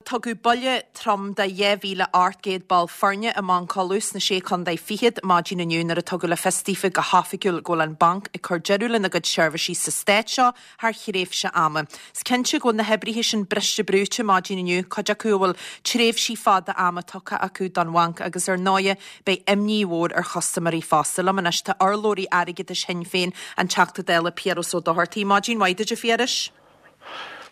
tugadh buille trom do 2,800 ball foirne i mBanc Uladh sna Sé Chontae Fichead maidin inniu nuair a tugadh le fios daofa go hoifigiúil go bhfuil an banc ag cur deireadh lena gcuid seirbhísí sa stát seo thar thréimhse ama. Is cinnte go bhfuil na hoibrithe sin briste brúite maidin inniu, cuid acu a bhfuil tréimhsí fada ama tugtha acu don bhanc agus ar ndóighe beidh imní mhór ar chustaiméirí fosta. Liom anois tá urlabhraí airgeadais Shinn Féin, an Teachta Dála Piaras Ó Dochartaigh. Maidin mhaith duit a Phiarais.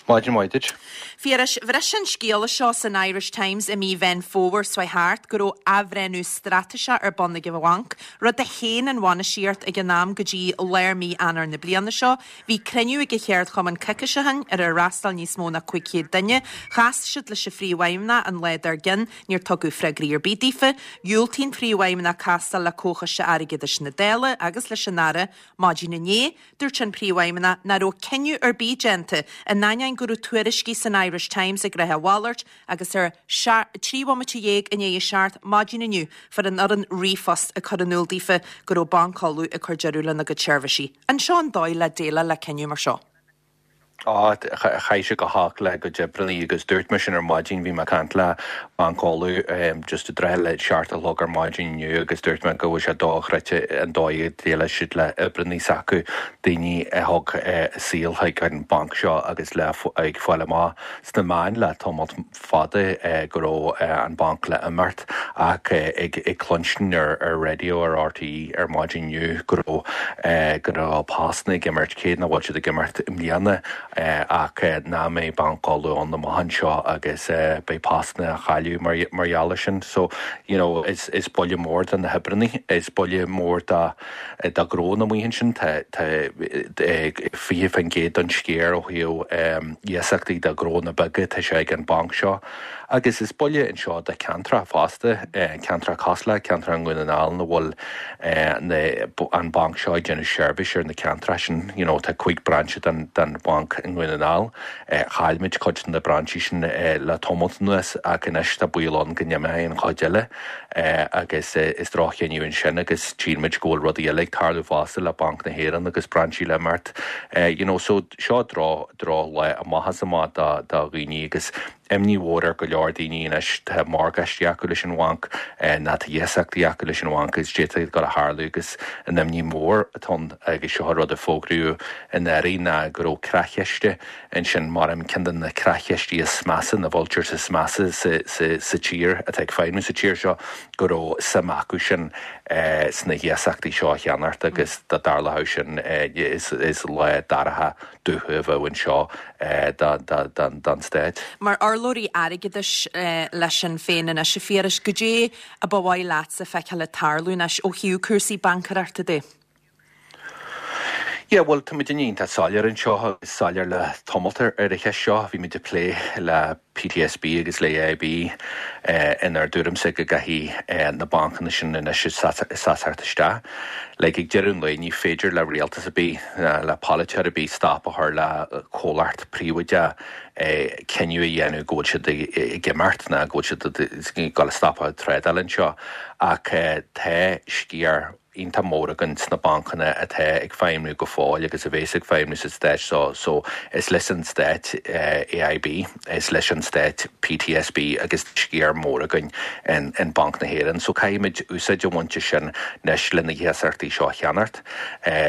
Maidin mhaith duit. Phiarais, bhris an scéala seo san Irish Times i mí Mheán Fómhair seo thart go raibh athbhreithniú straitéiseach ar bun ag an bhanc, rud a shéan an bhainistíocht ag an am go dtí lár mí Eanáir na bliana seo. Bhí cruinniú ag an cheardchumann coicís ó shin ar ar fhreastail níos mó ná 500 duine. Chas siad leis an phríomhfheidhmeannach an lá dár gcionn, níor tugadh freagraí ar bith daofa. Dhiúltaigh an príomhfheidhmeannach castáil le Comhchoiste Airgeadais na Dála agus leis an Aire maidin inné. Dúirt an Príomhfheidhmeannach nach raibh cinneadh ar bith déanta, in ainneoin go raibh tuairiscí san Irish Times ag ráit a mhalairt agus ar 13 bhomaite i ndiaidh a 7 maidin inniu fuair an fhoireann ríomhphost ag cur in iúl daofa go raibh Banc Uladh ag cur deireadh lena gcuid seirbhísí. An seo an dóigh le déileáil le cinneadh mar seo? Á, chaith sé go holc le cuid oibreannaí agus dúirt mé sin ar maidin, bhí mé ag caint le Banc Uladh just i dtrátha le seacht a chlog ar maidin inniu agus dúirt mé go bhfuil sé dochreidte an dóigh a déileáil siad le oibreannaí s'acu, daoine a thug a saol chuig an banc seo agus le ag fáil amach sna meáin le tamall fada go raibh an banc le imeacht ach ag cluinstin ar raidió ar RTÉ ar maidin inniu go raibh go raibh postanna ag imeacht, cé nach bhfuil siad ag imeacht i mbliana ach nach mbeidh Banc Uladh ann amach anseo agus beidh postanna á chailleadh mar gheall ar sin. So, you know, is is buille mór do na hoibreannaí, is buille mór do do ghnónna amuigh ansin. Tá 20% den sciar ó thaobh iasachtaí do ghnónna beaga, tá sé ag an banc seo. Agus is buille anseo do ceantracha fosta, ceantracha cosúil le ceantracha i nDún na nGall ina bhfuil an banc seo ag déanamh seirbhís ar na ceantracha sin. You know, tá 5 brainse den bhanc i nDún na nGall. Chaill muid cuid de na brainsí sin le tamalt anuas ach anois tá baol ann go n-imeoidh an chuid eile. Agus is droch-chinneadh ansin agus tchíonn muid go bhfuil rudaí eile ag tarlú fosta le Banc na hÉireann agus brainsí le imeacht. You know, so seo droch, drochlá amach is amach do, do dhaoine agus imní mhór ar go leor daoine anois, tá morgáistí acu leis an bhanc, nó tá iasachtaí acu leis an bhanc agus d'fhéadfadh a ghoil a tharlú agus an imní mhór atá ann agus seo rud a fógraíodh anuraidh ná go raibh creachiste Ansin, mar ceann de na creachchistí is measa, na vultures is measa sa tír, atá ag feidhmiú sa tír seo, go raibh suim acu sin sna hiasachtaí seo a cheannacht agus dá dtarlódh sin is lá dorcha dubh a bheadh anseo don stát. Mar urlabhraí airgeadais le Sinn Féin anois, a Phiarais, goidé a ba mhaith leatsa feiceáil ag tarlú anois ó thaobh cúrsaí baincéireachta de? Yeah, bhuel, tá muid iontach soiléir anseo agus soiléir le tamalt ar an cheist seo. Bhí muid ag plé le PTSB agus le AIB inár dtuairimse go gcaithfidh na bancanna sin anois seasamh isteach. Like, ag deireadh an lae, ní féidir le rialtas ar bith, le polaiteoir ar bith stop a chur le comhlacht príobháideach cinneadh a dhéanamh go bhfuil siad ag imeacht ná go bhfuil siad ag dul a stopadh trádáil anseo. Ach tá sciar iontach mór againn sna bancanna atá ag feidhmiú go fóill agus a bhéas ag feidhmiú sa stát seo so is leis an stát AIB, is leis an stát PTSB agus sciar mór againn in Banc na hÉireann so caithfimid úsáid a bhaint as sin anois le na hiasachtaí seo a cheannacht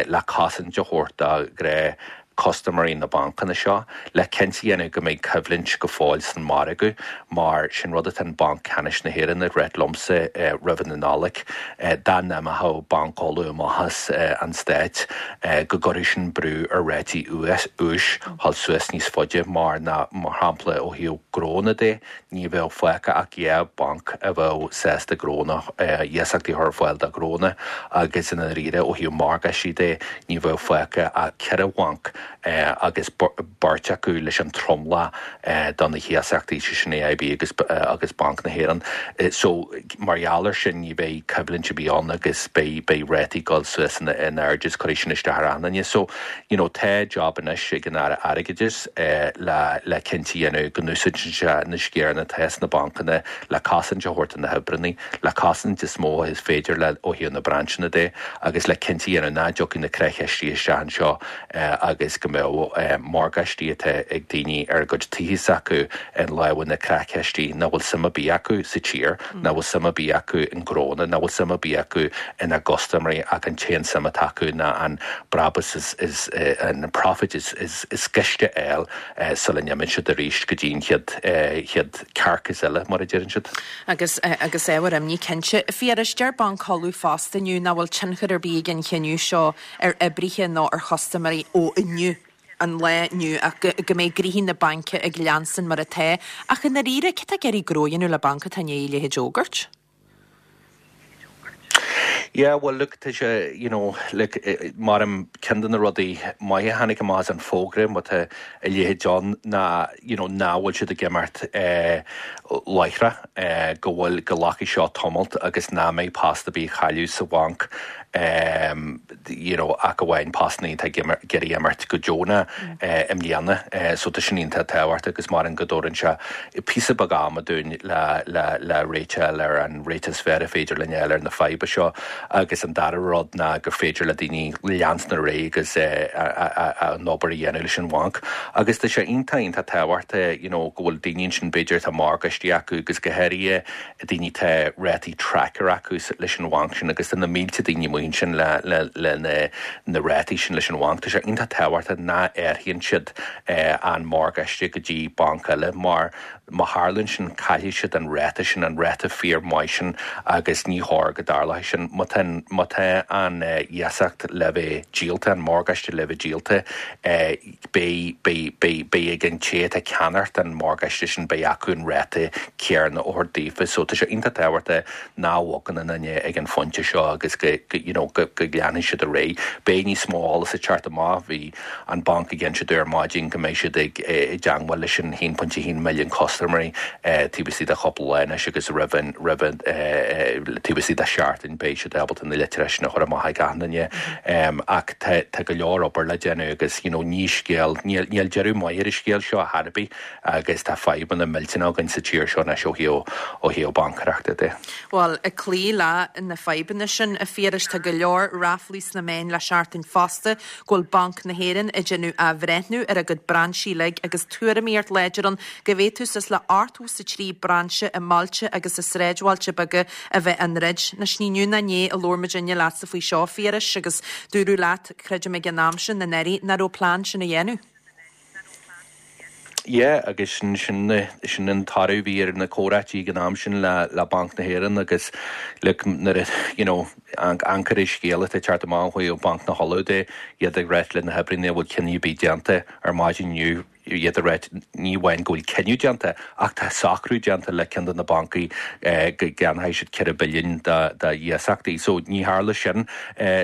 le cosaint a thabhairt do ghnáth custaiméirí na bancanna seo le cinnte a dhéanamh go mbeidh coimhlint go fóill san margadh mar sin rud atá an Banc Ceannais na hÉireann ag ráit liomsa roimh an Nollaig dá n-imeodh Banc Uladh amach as an Stát go gcuirfeadh sin brú ar rátaí úis dhul suas níos faide mar ná mar shampla ó thaobh gnónna de Ní bheadh fágtha ach 2 bhanc a bheadh sásta gnónna, iasachtaí a chur ar fáil do ghnónna agus i ndáiríre ó thaobh morgáistí de ní bheadh fágtha ach 4 bhanc agus beirt acu leis an tromlach do na hiasachtaí, sé sin AIB agus agus Banc na hÉireann. So mar gheall ar sin ní bheidh coimhlint ar bith ann agus beidh beidh rátaí ag dul suas in airde is cuirfidh sin isteach ar achan duine. So you know tá job anois ag an Aire Airgeadais le le cinnte a dhéanamh go n-úsáideann sé na sciaranna atá sna bancanna le cosaint a thabhairt do na hoibreanna, le cosaint is mó is féidir le ó thaobh na brainseanna de agus le cinnte a dhéanamh nach dtiocfaidh na creachchistí isteach anseo agus. go mbeadh morgáistí atá ag daoine ar a gcuid tithe s'acu i lámha na creachchistí nach bhfuil suim ar bith acu sa tír, nach bhfuil suim ar bith acu i ngnónna, nach bhfuil suim ar bith acu ina gcustaiméirí ach an t-aon suim atá acu ná an brabús is an profit is gaiste a fháil sula n-imíonn siad arís go dtí an chéad chéad carcass eile, mar a deireann siad. Agus agus ábhar imní cinnte. A Phiarais, deir Banc Uladh fosta inniu nach bhfuil tionchar ar bith ag an chinneadh seo ar oibrithe nó ar chustaiméirí ó inniu, an lá inniu, ach go go mbeidh gnoithí na baince ag leanstan mar atá. Ach i ndáiríre, cé atá ag iarraidh gnó a dhéanamh le banc atá i ndiaidh a leithéid a fhógairt? Yeah, well look, tá sé, you know, like, maram ceann de na rudaí maithe a tháinig amach as an bhfógra, má tá a leithéid ann, ná, you know, nach bhfuil siad ag imeacht láithreach, go bhfuil, go nglacfaidh seo tamalt agus nach mbeidh post ar bith á chailleadh sa bhanc. You know, ach amháin postanna atá ag iarraidh imeacht go deonach i mbliana. So tá sin iontach tábhachtach agus maram go dtabharann sé píosa beag ama dúinn le le le réiteach a fháil ar an réiteach is fearr a féidir linn a fháil ar na fadhba seo. Agus an dara rud ná gur féidir le daoine leanstan ar aghaidh agus an obair a dhéanamh leis an bhanc. Agus tá sé iontach iontach tábhachtach you know go bhfuil daoine ansin b'fhéidir atá morgáistí acu agus go háirithe daoine tá rátaí tracker acu leis an bhanc sin agus tá na mílte daoine amuigh ansin le le le na na rátaí sin leis an bhanc. Tá sé iontach tábhachtach nach athraíonn siad an morgáiste go dtí banc eile mar má tharlaíonn sin caillfidh siad an ráta sin, an ráta fíor maith sin agus ní chóir go dtarlódh sin. Má tá má tá an iasacht le bheith díolta, an morgáiste le bheith díolta, Beidh, beidh, beidh, beidh ag an té atá ag ceannacht an morgáiste sin, beidh acu an ráta céanna a thabhairt daofa. So tá sé iontach tábhachtach nach bhogann aon duine ag an phointe seo agus go, go, you know, go, go leanfaidh siad ar aghaidh. Beidh níos mó eolas ag teacht amach. Bhí an banc ag inse dúinn ar maidin go mbeidh siad ag, i dteangmháil leis an 1.1 milliún custaiméirí taobh istigh de chúpla lá anois agus roimh an, roimh an, taobh istigh de sheachtain beidh siad ábalta na litreacha sin a chur amach ag achan duine. Ach tá, tá go leor obair le déanamh agus you know ní scéal, níl, níl deireadh maith ar an scéal seo ar chor ar bith agus tá fadhbanna millteanacha againn sa tír seo anois ó thaobh, ó thaobh baincéireachta de. Bhuel, ag cloí le na fadhbanna sin, a Phiarais, tá go leor ráflaí sna meáin le seachtain fosta go bhfuil Banc na hÉireann ag déanamh athbhreithniú ar a gcuid brainsí uilig agus tuairimíocht láidir ann go bhféadfadh suas le 83 brainse i mbailte agus i sráidbhailte beaga a bheith á ndruid. Anois ní inniu ná inné a labhair muidinne leatsa faoi seo, a Phiarais, agus dúradh leat, creidim ag an am sin, i ndáiríre, nach raibh plean sin a dhéanamh. Yeah, agus sin, sin, sin an toradh a bhí ar na comhráití ag an am sin le, le Banc na hÉireann agus look, nuair a, you know, amharc ar an scéal atá ag teacht amach ó thaobh Banc na hUladh de, iad ag ráit le na hoibrithe nach bhfuil cinneadh ar bith déanta ar maidin inniu, iad ag ráit ní amháin go bhfuil cinneadh déanta ach tá socrú déanta le ceann de na bancaí go gceannóidh siad 4 billiún de iasachtaí. So ní tharla sin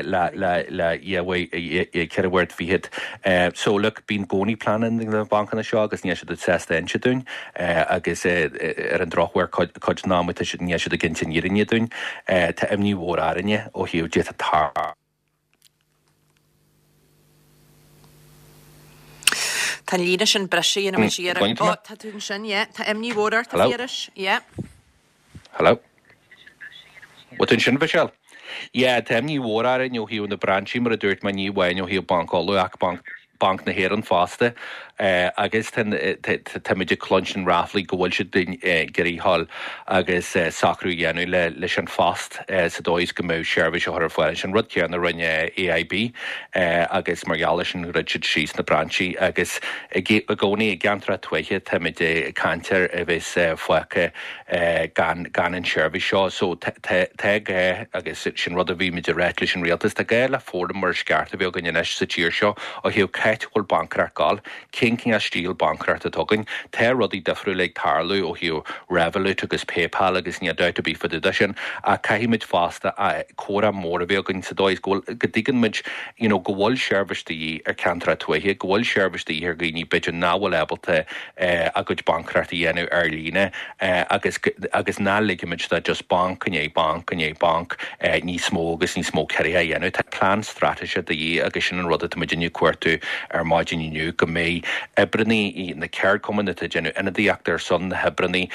le le ceithre bhuaire fichead. So look, bíonn i gcónaí pleananna ag na bancanna seo agus níl siad sásta inse dúinn agus ar an drochuair cuid den am tá siad níl siad ag inse an fhírinne dúinn. Tá imní mhór orainne ó thaobh d'fhéadfadh tarlú. Tá an líne sin briste, dhéanfaidh muid iarracht. Ó, tá tú ansin, yeah. Tá imní mhór ort, a Phiarais. Yeah. Hello? Bhfuil tú ansin, Michelle? Yeah, tá imní mhór orainn ó thaobh na brainsí, mar a dúirt mé, ní amháin ó thaobh Banc Uladh ach Banc Banc na hÉireann fosta agus táimid ag cluinstin ráflaí go bhfuil siad ag iarraidh dhul agus socrú a dhéanamh leis An Post sa dóigh is go mbeadh seirbhís á chur ar fáil ansin, rud céanna a rinne AIB agus mar gheall air sin dhruid siad síos na brainsí agus i gcónaí i gceantracha tuaithe táimid ag caint ar a bheas fágtha gan gan an tseirbhís seo. So tá tá gá, agus sin rud a bhí muid ag ráit leis an rialtas, tá gá le fóram mar is ceart a bheith againn anois sa tír seo ó thaobh c'áit a bhfuil baincéireacht ag gabháil, cén cineál stíl baincéireachta atá againn. Tá rudaí difriúla ag tarlú ó thaobh Revolut agus PayPal agus níl dabht ar bith fá dtaobh de sin ach caithfidh muid fosta comhrá mór a bheith againn sa dóigh is go bhfuil go dtuigeann muid you know go bhfuil seirbhís de dhíth ar ceantracha tuaithe, go bhfuil seirbhís de dhíth ar dhaoine b'fhéidir nach bhfuil ábalta a gcuid baincéireachta a dhéanamh ar líne agus agus ná ligfimid do just banc i ndiaidh banc i ndiaidh banc níos mó agus níos mó ciorruithe a dhéanamh. Tá plean straitéise de dhíth agus sin an rud atá muidinne ag cuartú. ar maidin inniu, go mbeidh oibreannaí, na ceardchumainn atá ag déanamh ionadaíocht ar son na hoibreannaí,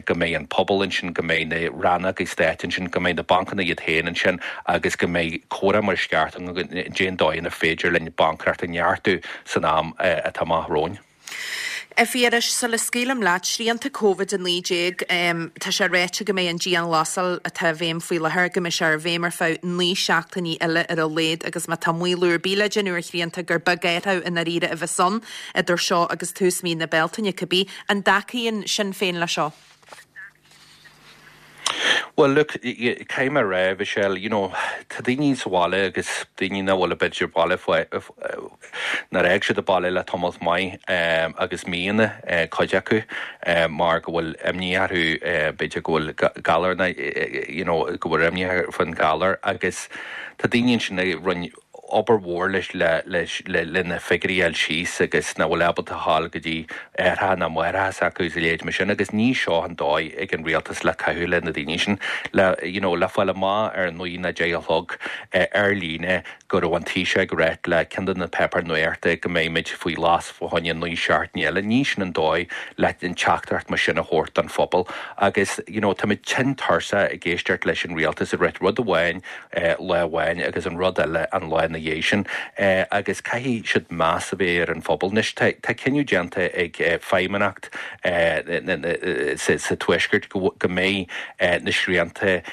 go mbeidh an pobal ansin, go mbeidh na rannógaí stáit ansin, go mbeidh na bancanna iad féin ansin agus go mbeidh comhrá mar is ceart againn cén dóigh inar féidir linn baincéireacht a neartú san am atá amach romhainn. A Phiarais, sula scaoilim leat, srianta Covid-19, tá sé ráite go mbeidh an dianghlasáil atá i bhfeidhm faoi láthair, go mbeidh sé i bhfeidhm ar feadh 9 seachtainí eile ar a laghad agus má tá maolú ar bith le déanamh ar shrianta gur beag athrú i ndáiríre a bheas ann idir seo agus tús mhí na Bealtaine cibé. An dtacaíonn Sinn Féin leis seo? Bhuel, look, caithfidh mé a rá, Michelle, you know, tá daoine sa bhaile agus daoine nach bhfuil b'fhéidir baile nár fhág siad an baile le tamall maith agus míonna, cuid acu, mar go bhfuil imní orthu, b'fhéidir go bhfuil galar, you know, go bhfuil imní orthu faoin ghalar agus tá daoine ansin a rinne obair mhór leis le na figiúirí a fháil síos agus nach bhfuil ábalta a ghabháil go dtí aithreacha ná máithreacha s'acu is a leithéid mar sin agus ní seo an dóigh ag an rialtas le caitheamh le na daoine sin le you know le fáil amach ar a naoi nó deich a chlog ar líne go raibh an Taoiseach ag ráit le ceann de na páipéir nuachta go mbeidh muid faoi ghlas fá choinne 9 seachtaine eile. Ní sin an dóigh le an teachtaireacht mar sin a thabhairt don phobal agus you know táimid tinn tuirseach ag éisteacht leis an rialtas ag ráit rud amháin lá amháin agus an rud eile an lá ina dhiaidh sin agus caithfidh siad meas a bheith ar an phobal. Anois tá cinneadh déanta ag Feidhmeannacht sa Tuaisceart go mbeidh na srianta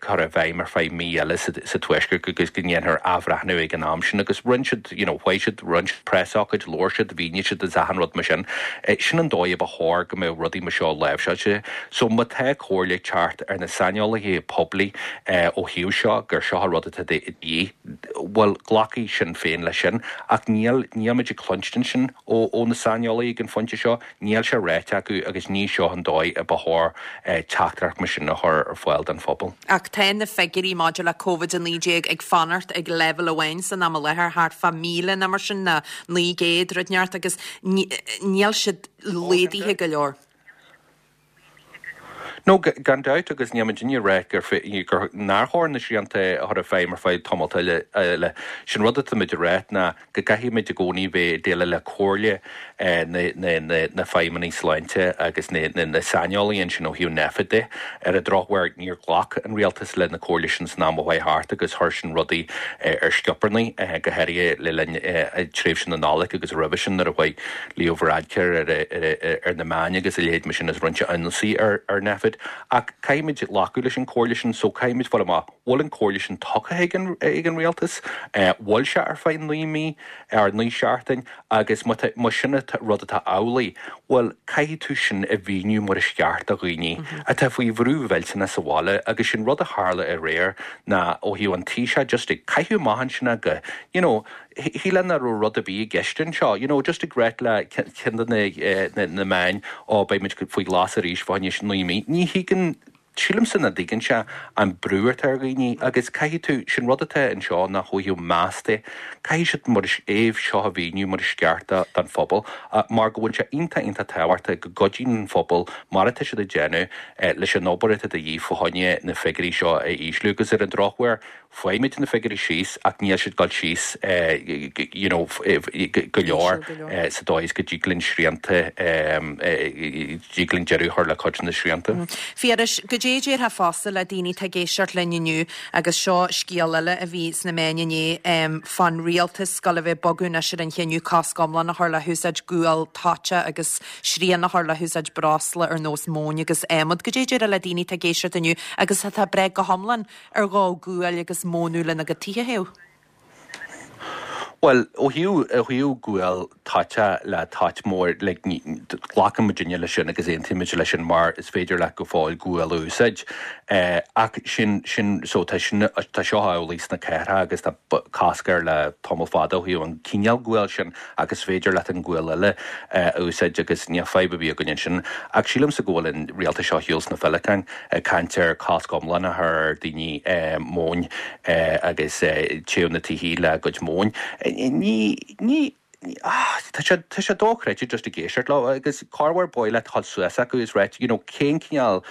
curtha i bhfeidhm ar feadh mí eile sa Tuaisceart agus go ndéanfar athbhreithniú ag an am sin agus rinne siad, you know, chuaigh siad, rinne siad preasócáid, labhair siad, mhínigh siad agus achan rud mar sin. Sin an dóigh a ba chóir go mbeadh rudaí mar seo láimhseáilte. So má tá comhairle ag teacht ar na saineolaithe poiblí ó thaobh seo, gur seo an rud atá de dhíth, bhuel, glacfaidh Sinn Féin leis sin. Ach níl, níl muid ag cluinstin sin ó, ó na saineolaithe ag an phointe seo. Níl sé ráite acu agus ní seo an dóigh a ba chóir teachtaireacht mar sin a chur ar fáil don phobal. Ach tá na figiúirí maidir le Covid-19 ag fanacht ag leibhéal amháin san am i láthair, thart fá 1,000 nó mar sin, nó 900, rud inteacht, agus níl siad laghdaithe go leor. No, gan dabht, agus níl muidinne ag rá gur, gur, nár chóir na srianta a chur i bhfeidhm ar feadh tamalt eile. Sin rud atá muid ag rá ná go gcaithfidh muid i gcónaí bheith ag déileáil le comhairle na, na, na, na feidhmeannaigh sláinte agus na, na, na saineolaithe ansin ó thaobh Nphet de. Ar an drochuair, níor ghlac an rialtas le na comhairle sin san am a chuaigh thart agus chuir sin rudaí ar scioparnaigh, go háirithe le linn tréimhse na Nollag agus roimhe sin nuair a chuaigh Leo Varadkar ar na meáin agus a leithéid mar sin is rinne sé ionsaí ar Nphet. Ach caithfimid glacadh leis an chomhairle sin so caithfimid fáil amach bhfuil an chomhairle sin tugtha ag an rialtas, bhfuil sé ar feadh 9 mí or 9 seachtain agus má tá sin an rud atá amhlaidh, bhuel caithfidh tú sin a mhíniú mar is ceart do dhaoine atá faoi bhrú mhillteanach sa bhaile agus sin rud a tharla aréir ná ó thaobh an Taoiseach just ag caitheamh amach ansin go you know Shílfeá nach raibh rud ar bith i gceist anseo, you know, just ag ráit le ceann de na na meáin, ó beidh muid faoi ghlas arís fá choinne 9 mí. Ní thuigeann, sílimse nach dtuigeann sé an brú atá ar dhaoine agus caithfidh tú, sin rud atá anseo ná ó thaobh meas de, caithfidh siad mar is é seo a mhíniú mar is ceart don phobal mar go bhfuil sé iontach iontach tábhachtach go gcuidíonn an phobal mar atá siad ag déanamh leis an obair atá de dhíth fá choinne na figiúirí seo a ísliú agus ar an drochuair Faighimid na figiúirí síos ach níl siad ag dul síos you know go leor sa dóigh is go dtig linn srianta, dtig linn deireadh a chur le cuid de na srianta. Phiarais, goidé a déarfá fosta le daoine atá ag éisteacht linn inniu agus seo scéal eile a bhí sna meáin inné fán rialtas ag gabháil a bheith ag bogadh anois ar an chinneadh cosc iomlán a chur le húsáid gual toite agus srian a chur le húsáid breosla ar nós móin agus adhmad. Goidé a déarfá le daoine atá ag éisteacht inniu agus atá breá go hiomlán ar dhó guail agus mónadh lena gcuid tithe a théamh. Bhuel, ó thaobh, ó thaobh gual toite le toit mór, like, ní, glacann muidinne leis sin agus aontaímid leis sin mar is féidir leat go fóill gual a úsáid. Ach sin, sin, so tá sin, tá seo amhlaidh sna cathracha agus tá cosc air le tamall fada ó thaobh an cineál guail sin. ach is féidir leat an gual eile a úsáid agus níl fadhb ar bith againn ansin. Ach sílimse go bhfuil an rialtas seo ar shiúl sna féileacáin ag caint ar cosc iomlán a chur ar daoine móin agus téamh na tithe le a gcuid móin. Ní, ní, tá sé, tá sé dochreidte just ag éisteacht leo agus corruair ba mhaith leat dhul suas acu is ráit, you know, cén cineál.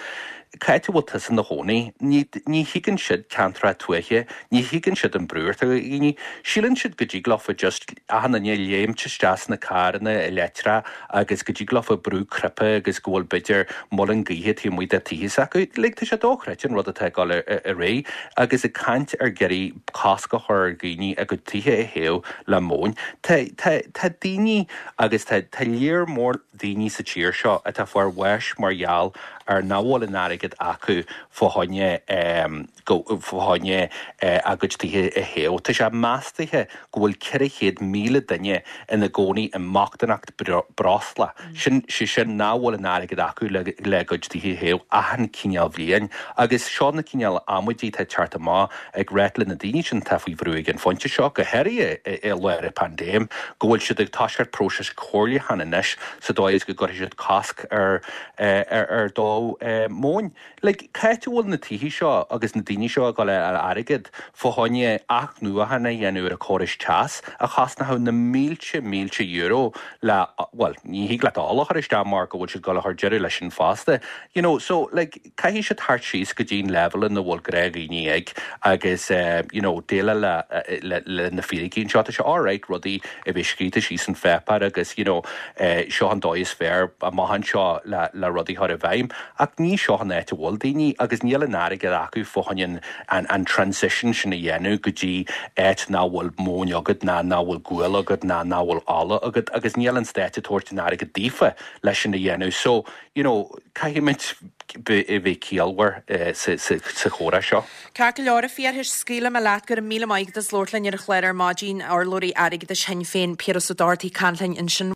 Cá háit a bhfuil tusa ina chónaí? Ní, ní thuigeann siad ceantracha tuaithe, ní thuigeann siad an brú atá ar dhaoine. Síleann siad go dtig leofa just achan duine léimt isteach sna carranna leictreacha agus go dtig leofa brú cnaipe agus go bhfuil b'fhéidir muileann gaoithe taobh amuigh de tithe s'acu. Like, tá sé dochreidte an rud atá ag dul ar aghaidh agus ag caint ar iarraidh cosc a chur ar dhaoine a gcuid tithe a théamh le móin. Tá, tá, tá daoine agus tá, tá léar mór daoine sa tír seo atá ag fáil bháis mar gheall ar nach bhfuil an airgead acu fá choinne fá choinne a gcuid tithe a théamh. Tá sé meastaithe go bhfuil 400,000 duine ina gcónaí i mbochtaineacht breosla, sin sé sin nach bhfuil an airgead acu le le a gcuid tithe a théamh achan cineál bhliain. Agus seo na cineál amaidí atá ag teacht amach ag ráit le na daoine sin atá faoi bhrú ag an phointe seo, go háirithe i lár an phaindéim, go bhfuil siad ag toiseacht próiseas comhairliúcháin anois sa dóigh is go gcuirfidh siad cosc ar ar dó móin. Like, cá háit a bhfuil na tithe seo agus na daoine seo ag dul a fháil airgead fá choinne athnuachan a dhéanamh ar a córais teas a chosnódh na mílte mílte euro le, bhuel, ní thig leat ola a chur isteach mar go bhfuil siad ag dul a chur deireadh leis sin fosta. You know, so, like, Caithfidh siad theacht síos go dtí an leibhéal ina bhfuil gnáthdhaoine ag agus you know déileáil le le na fíricí anseo. Tá sé alright rudaí a bheith scríofa síos an pháipéar agus you know seo an dóigh is fearr amach anseo le le rudaí a chur i bhfeidhm ach ní seo an áit a bhfuil daoine agus níl an airgead acu fá choinne an an transition sin a dhéanamh go dtí áit nach bhfuil móin agat ná nach bhfuil gual agat ná nach bhfuil ola agat agus níl an stát ag tabhairt an airgead daofa leis sin a dhéanamh. So you know, caithfimid a bheith ciallmhar sa chomhrá seo. Ceart go leor, a Phiarais, scaoilfidh mé leat. Go raibh míle maith agat as labhairt linn ar an chlár ar maidin. Urlabhraí Airgeadais Shinn Féin, Piaras Ó Dochartaigh, ag caint linn ansin.